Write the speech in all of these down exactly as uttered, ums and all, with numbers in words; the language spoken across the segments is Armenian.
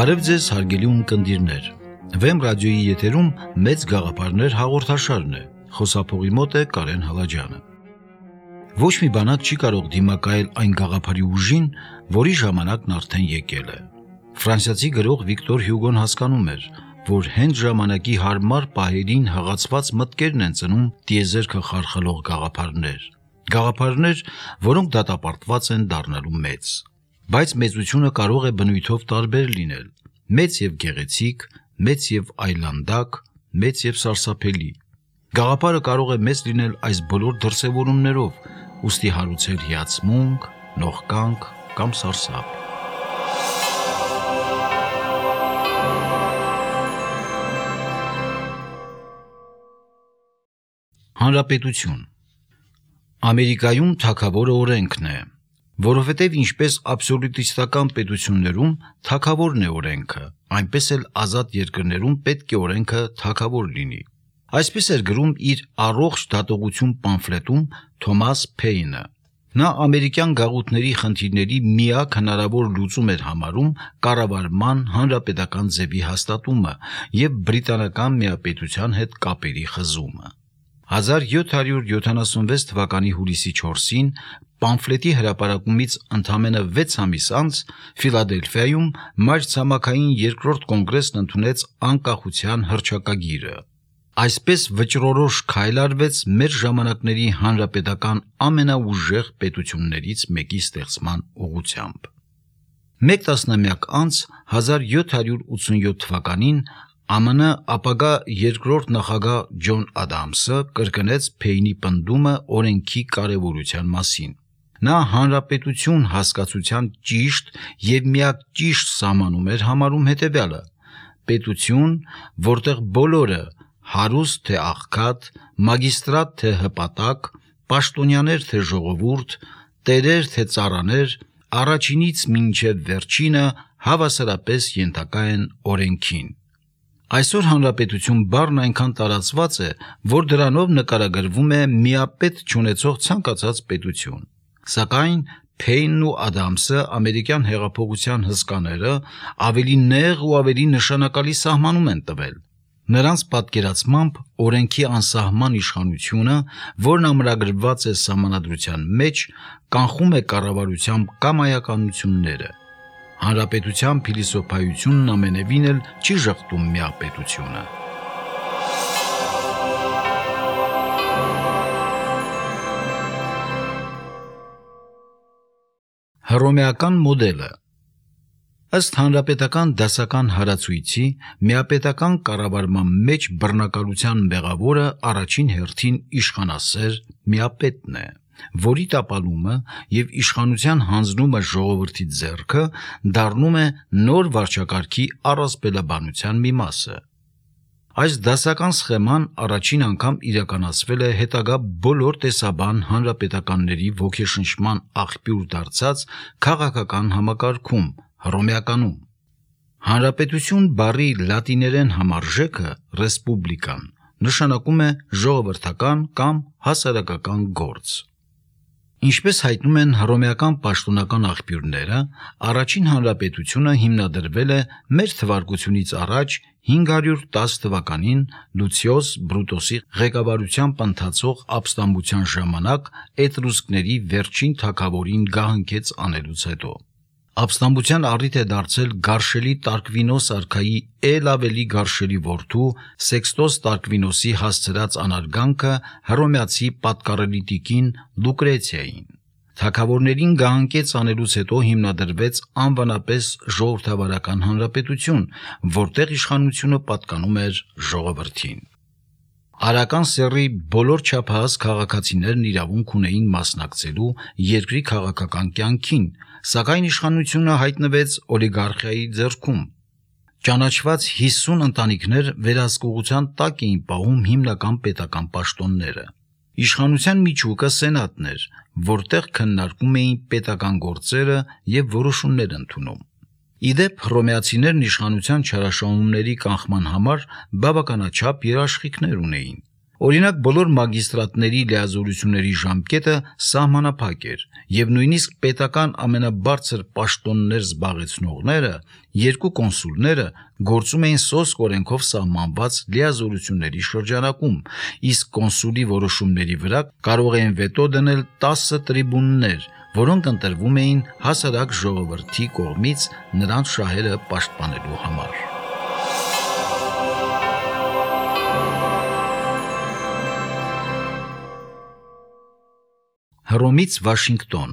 Բարև ձեզ հարգելի ունկնդիրներ, Վեմ ռադիոյի եթերում մեծ գաղափարներ հաղորդաշարն է, խոսափողի մոտ է Կարեն Հալաջյանը։ Ոչ մի բանակ չի կարող դիմակայել այն գաղափարի ուժին, որի ժամանակն արդեն եկել է։ Ֆրանսիացի գրող Վիկտոր Հյուգոն հասկանում էր, որ հենց ժամանակի հարմար պահերին հղացված մտքերն են ծնում տիեզերքը խարխլող գաղափարներ, գաղափարներ, որոնք դատապարտված են դառնալու մեծ։ Բայց մեծությունը կարող է բնույթով տարբեր լինել, մեծ եւ գեղեցիկ, մեծ եւ այլանդակ, մեծ եւ սարսափելի։ Գաղափարը կարող է մեծ լինել այս բոլոր դրսևորումներով, ուստի հարուցել հիացմունք, նողկանք կամ սարսափ։ Հանրապետություն Ամերիկայում թագավորը օրենքն է, որովհետև ինչպես աբսոլյուտիստական պետություններում թագավորն է օրենքը, այնպես էլ ազատ երկրներում պետք է օրենքը թագավոր լինի։ Այսպես էր գրում իր առողջ դատողություն պամֆլետում Թոմաս Փեյնը։ Նա ամերիկյան գաղութների խնդիրների միակ հնարավոր լուծում էր համարում կառավարման հանրապետական ձևի հաստատումը եւ բրիտանական միապետության հետ կապերի խզումը։ հազար յոթ հարյուր յոթանասունվեց թվականի հուլիսի չորսին պամֆլետի հրապարակումից ընդամենը վեց ամիս անց Ֆիլադելֆիայում մայրցամաքային երկրորդ կոնգրեսն ընդունեց անկախության հռչակագիրը։ Այսպես վճռորոշ քայլ արվեց մեր ժամանակների հանրապետական ամենաուժեղ պետություններից մեկի ստեղծման ուղղությամբ։ Մեկ տասնամյակ անց հազար յոթ հարյուր ութսունյոթ թվականին Ամը Նե ապագա երկրորդ նախագահ Ջոն Ադամսը կրկնեց Փեյնի պնդումը օրենքի կարևորության մասին։ Նա հանրապետություն հասկացության ճիշտ եւ միակ ճիշտ սահմանում էր համարում հետեւյալը. պետություն, որտեղ բոլորը, հարուստ թե աղքատ, մագիստրատ թե հպատակ, պաշտոնյաներ թե ժողովուրդ, տերեր թե ծառաներ, առաջինից մինչև վերջինը հավասարապես ենթակա են օրենքին։ Այսօր հանրապետություն բառն այնքան տարածված է, որ դրանով նկարագրվում է միապետ չունեցող ցանկացած պետություն։ Սակայն Փեյնն ու Ադամսը ամերիկյան հեղափոխության հսկաները ավելի նեղ ու ավելի նշանակալի սահմանում են տվել։ Նրանց պատկերացմամբ օրենքի անսահման իշխանությունը, որն ամրագրված է սահմանադրության մեջ, կանխում է կառավարության կամայականությունները։ Հանրապետության փիլիսոփայությունն ամենևին էլ չի ժխտում միապետությունը։ Հռոմեական մոդելը Ըստ հանրապետական դասական հարացույցի, միապետական կառավարման մեջ բռնակալության մեղավորը առաջին հերթին իշխանասեր միապետն է, որի տապալումը եւ իշխանության հանձնումը ժողովրդի ձեռքը դառնում է նոր վարչակարգի առասպելաբանության մի մասը։ Այս դասական սխեման առաջին անգամ իրականացվել է հետագա բոլոր տեսաբան հանրապետականների ոգեշնչման աղբյուր դարձած քաղաքական համակարգում Հռոմեականում։ Հանրապետություն բառի լատիներեն համարժեքը ռեսպուբլիկան նշանակում է ժողովրդական կամ հասարակական գործ։ Ինչպես հայտնում են հռոմեական պաշտոնական աղբյուրները, առաջին հանրապետությունը հիմնադրվել է մեր թվարկությունից առաջ հինգ հարյուր տասը թվականին Լուցիոս Բրուտոսի ղեկավարությամբ ընթացող ապստամբության ժամանակ էտրուսկների վերջին թագավորին գահընկեց անելուց հետո։ Ապստամբության առիթ է դարձել Գարշելի Տարկվինոս արքայի էլ ավելի գարշելի որդու Սեքստոս Տարկվինոսի հասցրած անարգանքը հռոմեացի պատկառելի տիկին Լուկրեցիային։ Թագավորներին գահընկեց անելուց հետո հիմնադրվեց անվանապես ժողովրդավարական հանրապետություն, որտեղ իշխանությունը պատկանում էր ժողովրդին։ Արական սեռի բոլոր չափահաս քաղաքացիներն իրավունք ունեին մասնակցելու երկրի քաղաքական կյանքին, սակայն իշխանությունը հայտնվեց օլիգարխիայի ձեռքում։ Ճանաչված հիսուն ընտանիքներ վերահսկողության տակ էին պահում հիմնական պետական պաշտոնները։ Իշխանության միջուկը սենատն էր, որտեղ քննարկում էին պետական գործերը եւ որոշումներ ընդունում։ Իդեպ հռոմեացիներն իշխանության չարաշահումների կանխման համար բավականաչափ երաշխիքներ ունեին։ Օրինակ, բոլոր մագիստրատների լիազորությունների ժամկետը սահմանափակ էր, եւ նույնիսկ պետական ամենաբարձր պաշտոններ զբաղեցնողները, երկու կոնսուլները գործում էին սոսկ օրենքով սահմանված լիազորությունների շրջանակում, իսկ կոնսուլի որոշումների վրա կարող էին վետո դնել տասը տրիբուններ, որոնք ընտրվում էին հասարակ ժողովրդի կողմից նրանց շահերը պաշտպանելու համար։ Հռոմից Վաշինգտոն։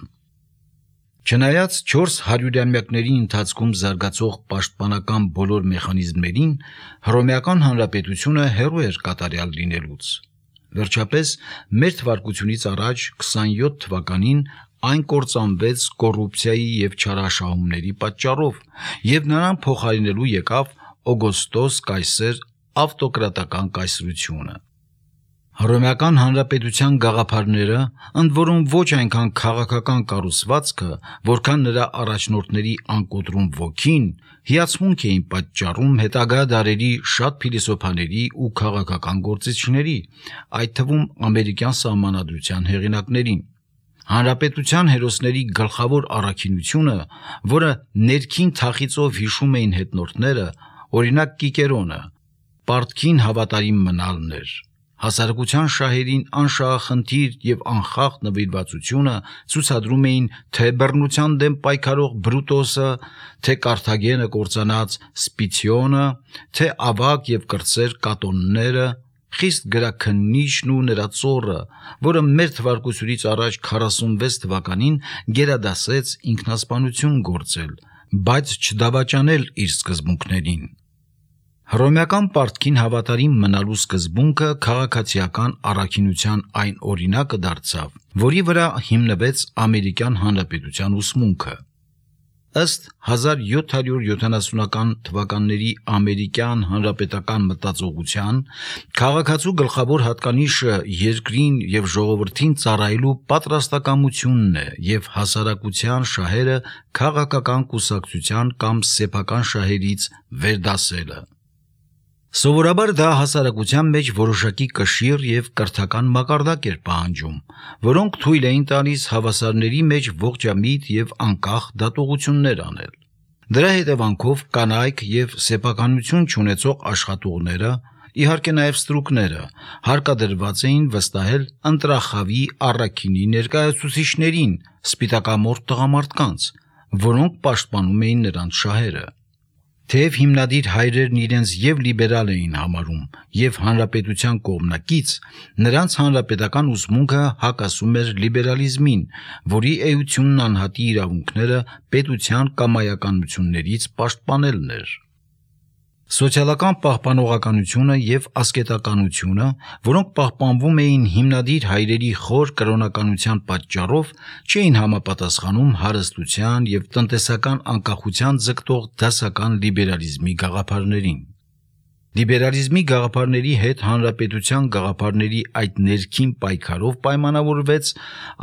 Չնայած չորս հարյուրամյակների ընթացքում զարգացող պաշտպանական բոլոր մեխանիզմներին, Հռոմեական Հանրապետությունը հեռու էր կատարյալ լինելուց։ Վերջապես, մեր թվարկությունից առաջ քսանյոթ թվականին այն կործանվեց կոռուպցիայի և չարաշահումների պատճառով, և նրան փոխարինելու եկավ Օգոստոս Կայսեր ավտոկրատական կայսրությունը։ Հռոմեական Հանրապետության գաղափարները, ընդ որում ոչ այնքան քաղաքական կառուցվածքը, որքան նրա առաջնորդների անկոտրում ոգին, հիացմունք էին պատճառում հետագա դարերի շատ փիլիսոփաների ու քաղաքական գործիչների, այդ թվում ամերիկյան սահմանադրության հեղինակներին։ Հանրապետության հերոսների գլխավոր առաքինությունը, որը ներքին թախիծով հիշում էին հետնորդները, օրինակ Կիկերոնը, պարտքին հավատարիմ մնալն էր։ Հասարակության շահերին անշահախնդիր և անխախտ նվիրվածությունը ցուցադրում էին թե բռնության դեմ պայքարող Բրուտոսը, թե Կարթագենը կործանած Սպիցիոնը, թե ավագ և կրտսեր Կատոնները, խիստ գրաքննիչն ու նրա ծոռը, որը մեր թվարկությունից առաջ քառասունվեց թվականին գերադասեց ինքնասպանություն գործել, բայց չդավաճանել իր սկզբունքներին։ Հռոմեական պարտքին հավատարիմ մնալու սկզբունքը քաղաքացիական առաքինության այն օրինակը դարձավ, որի վրա հիմնվեց Ամերիկյան Հանրապետության ուսմունքը։ Ըստ հազար յոթ հարյուր յոթանասունական թվականների ամերիկյան հանրապետական մտածողության, քաղաքացու գլխավոր հատկանիշը երկրին և ժողովրդին ծառայելու պատրաստակամությունն է և հասարակության շահերը քաղաքական կուսակցության կամ սեփական շահերից վերդասելը։ Սովորաբար դա հասարակության մեջ որոշակի կշիռ և կրթական մակարդակ էր պահանջում, որոնք թույլ էին տալիս հավասարների մեջ ողջամիտ և անկախ դատողություններ անել։ Դրա հետևանքով կանայք և սեփականություն չունեցող աշխատողները, իհարկե նաև ստրուկները, հարկադրված էին վստահել ընտրախավի առաքինի ներկայացուցիչներին, սպիտակամորթ տղամարդկանց, որոնք պաշտպանում էին նրանց շահերը։ Թեև հիմնադիր հայրերն իրենց և լիբերալ էին համարում, և հանրապետության կողմնակից, նրանց հանրապետական ուսմունքը հակասում էր լիբերալիզմին, որի էությունն անհատի իրավունքները պետության կամայականություններից պաշտպանելն էր։ Սոցիալական պահպանողականությունը և ասկետականությունը, որոնք պահպանվում էին հիմնադիր հայրերի խոր կրոնականության պատճառով, չէին համապատասխանում հարստության և տնտեսական անկախության ձգտող դասական լիբերալիզմի գաղափարներին։ Լիբերալիզմի գաղափարների հետ հանրապետության գաղափարների այդ ներքին պայքարով պայմանավորվեց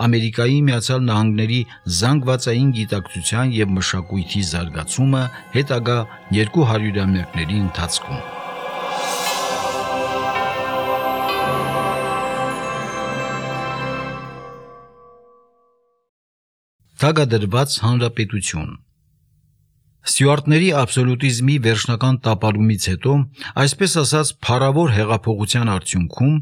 Ամերիկայի Միացյալ Նահանգների զանգվածային գիտակցության և մշակույթի զարգացումը հետագա երկու հարյուրամյակների ընթացքում։ Թագադրված հանրապետություն։ Ստյուարտների աբսոլյուտիզմի վերջնական տապալումից հետո, այսպես ասած, փառավոր հեղափոխության արդյունքում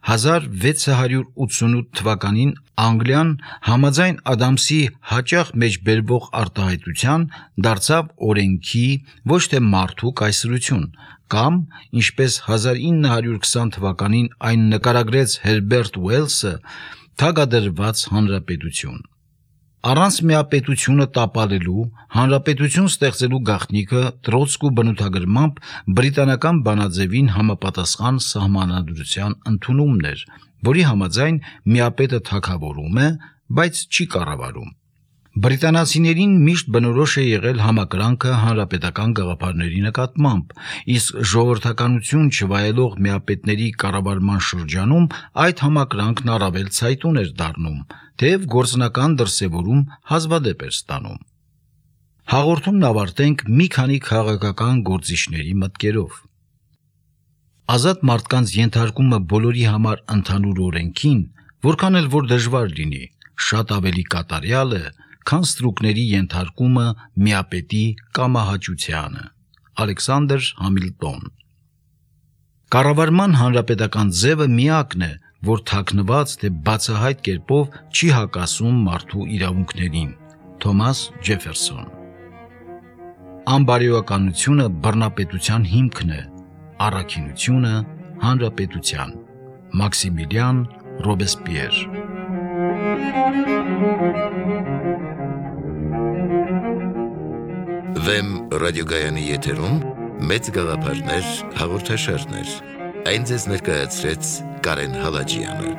հազար վեց հարյուր ութսունութ թվականին Անգլիան համաձայն Ադամսի հաճախ մեջբերվող արտահայտության դարձավ օրենքի, ոչ թե մարդու կայսրություն, կամ, ինչպես հազար ինը հարյուր քսան թվականին այն նկարագրեց Հերբերտ Ուելսը, թագադրված հանրապետություն։ Առանց միապետությունը տապալելու, հանրապետություն ստեղծելու գաղտնիքը Տրոցկու բնութագրմամբ բրիտանական բանաձևին համապատասխան սահմանադրության ընդունումն էր, որի համաձայն միապետը թագավորում է, բայց չի կառավարում։ Բրիտանացիներին միշտ բնորոշ է եղել համակրանքը հանրապետական գաղափարների նկատմամբ, իսկ ժողովրդականություն չվայելող միապետների կառավարման շրջանում այդ համակրանքն առավել ցայտուն էր դառնում, թեև գործնական դրսևորում հազվադեպ էր ստանում։ Հաղորդումն ավարտենք մի քանի քաղաքական գործիչների մտքերով։ Ազատ մարդկանց ենթարկումը բոլորի համար ընդհանուր օրենքին, որքան էլ որ դժվար լինի, շատ ավելի կատարյալ է, քան ստրուկների ենթարկումը միապետի կամահաճությանը։ Ալեքսանդր Համիլտոն։ Կառավարման հանրապետական ձևը միակն է, որ թաքնված թե բացահայտ կերպով չի հակասում մարդու իրավունքներին։ Թոմաս Ջեֆերսոն։ Անբարոյականությունը բռնապետության հիմքն է, առաքինությունը հանրապետության։ Մաքսիմիլիան Ռոբեսպիեր։ Վեմ ռադիոգայանի եթերում մեծ գաղափարներ հաղորդաշարներ։ Այն ձեզ ներկայացրեց Կարեն Հալաջյանը։